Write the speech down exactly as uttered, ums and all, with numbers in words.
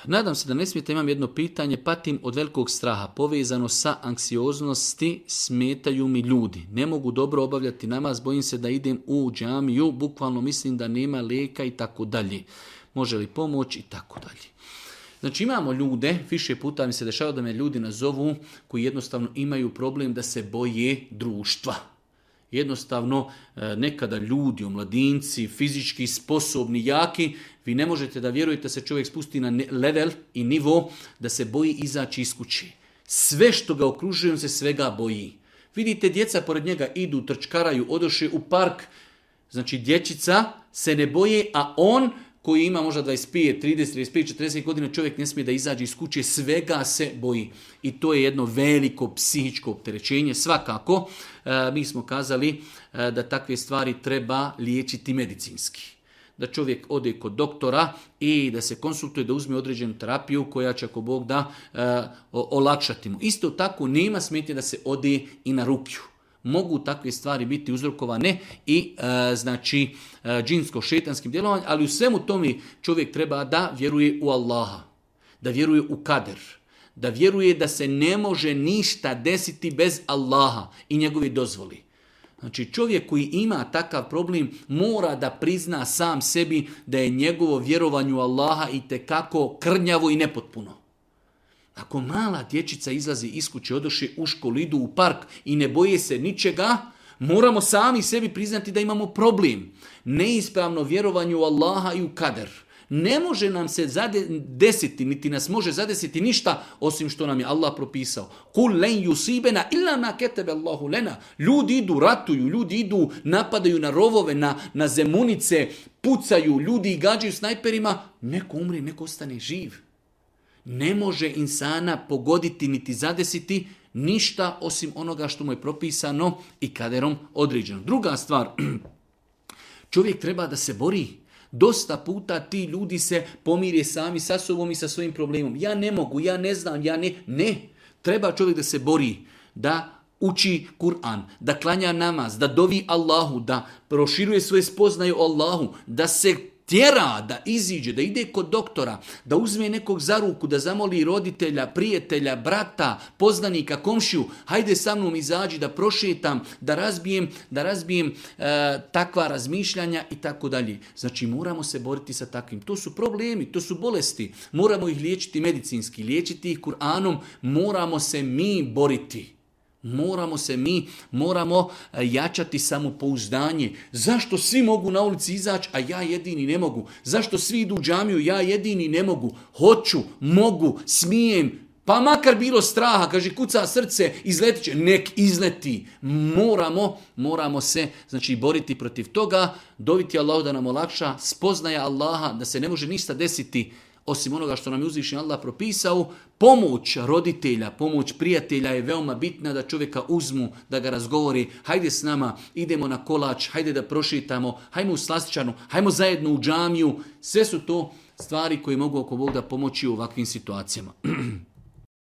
Nadam se da ne smijete, imam jedno pitanje, patim od velikog straha, povezano sa anksioznosti, smetaju mi ljudi. Ne mogu dobro obavljati namaz, bojim se da idem u džamiju, bukvalno mislim da nema lijeka i tako dalje. Može li pomoć i tako dalje. Znači imamo ljude, više puta mi se dešava da me ljudi nazovu koji jednostavno imaju problem da se boje društva. Jednostavno, nekada ljudi, omladinci, fizički sposobni, jaki, vi ne možete da vjerujete da se čovjek spusti na level i nivo da se boji izaći iz kuće. Sve što ga okružuje, on se svega boji. Vidite, djeca pored njega idu, trčkaraju, odoše u park. Znači, dječica se ne boje, a on koji ima možda dvadeset pet, trideset, trideset pet, četrdeset godina, čovjek ne smije da izađe iz kuće, svega se boji. I to je jedno veliko psihičko opterećenje. Svakako, e, mi smo kazali e, da takve stvari treba liječiti medicinski. Da čovjek ode kod doktora i da se konsultuje, da uzme određenu terapiju koja će, ako Bog da, e, olakšati mu. Isto tako, nema smetnje da se ode i na rukju. Mogu takve stvari biti uzrokovane i e, znači e, džinsko-šetanskim djelovanjem, ali u svemu tome čovjek treba da vjeruje u Allaha, da vjeruje u kader, da vjeruje da se ne može ništa desiti bez Allaha i njegove dozvoli. Znači čovjek koji ima takav problem mora da prizna sam sebi da je njegovo vjerovanje u Allaha itekako krnjavo i nepotpuno. Ako mala dječica izlazi iz kuće, odoše u školu, idu u park i ne boje se ničega, moramo sami sebi priznati da imamo problem. Neispravno vjerovanje u Allaha i u kader. Ne može nam se desiti, niti nas može zadesiti ništa osim što nam je Allah propisao. Kul len yusibena illa ma ketebe Allahu lena. Ljudi idu, ratuju, ljudi idu, napadaju na rovove, na, na zemunice, pucaju, ljudi gađaju snajperima. Neko umre, neko ostane živ. Ne može insana pogoditi niti zadesiti ništa osim onoga što mu je propisano i kaderom određeno. Druga stvar, čovjek treba da se bori. Dosta puta ti ljudi se pomire sami sa sobom i sa svojim problemom. Ja ne mogu, ja ne znam, ja ne. Ne, treba čovjek da se bori, da uči Kur'an, da klanja namaz, da dovi Allahu, da proširuje svoje spoznaje o Allahu, da se tjera, da iziđe, da ide kod doktora, da uzme nekog za ruku, da zamoli roditelja, prijatelja, brata, poznanika, komšiju, hajde sa mnom izađi, da prošetam, da razbijem, da razbijem e, takva razmišljanja i tako dalje. Znači moramo se boriti sa takvim. To su problemi, to su bolesti. Moramo ih liječiti medicinski, liječiti ih Kur'anom, moramo se mi boriti. Moramo se mi, moramo jačati samopouzdanje. Zašto svi mogu na ulici izaći, a ja jedini ne mogu? Zašto svi idu u džamiju, ja jedini ne mogu? Hoću, mogu, smijem, pa makar bilo straha, kaže kuca srce, izletit će, nek izleti. Moramo, moramo se znači boriti protiv toga, doviti Allahu da nam olakša, spoznaja Allaha da se ne može ništa desiti osim onoga što nam je uzvišeni Allah propisao. Pomoć roditelja, pomoć prijatelja je veoma bitna, da čovjeka uzmu, da ga razgovori, hajde s nama, idemo na kolač, hajde da prošetamo, hajmo u slastičarnu, hajmo zajedno u džamiju. Sve su to stvari koje mogu oko Boga pomoći u ovakvim situacijama.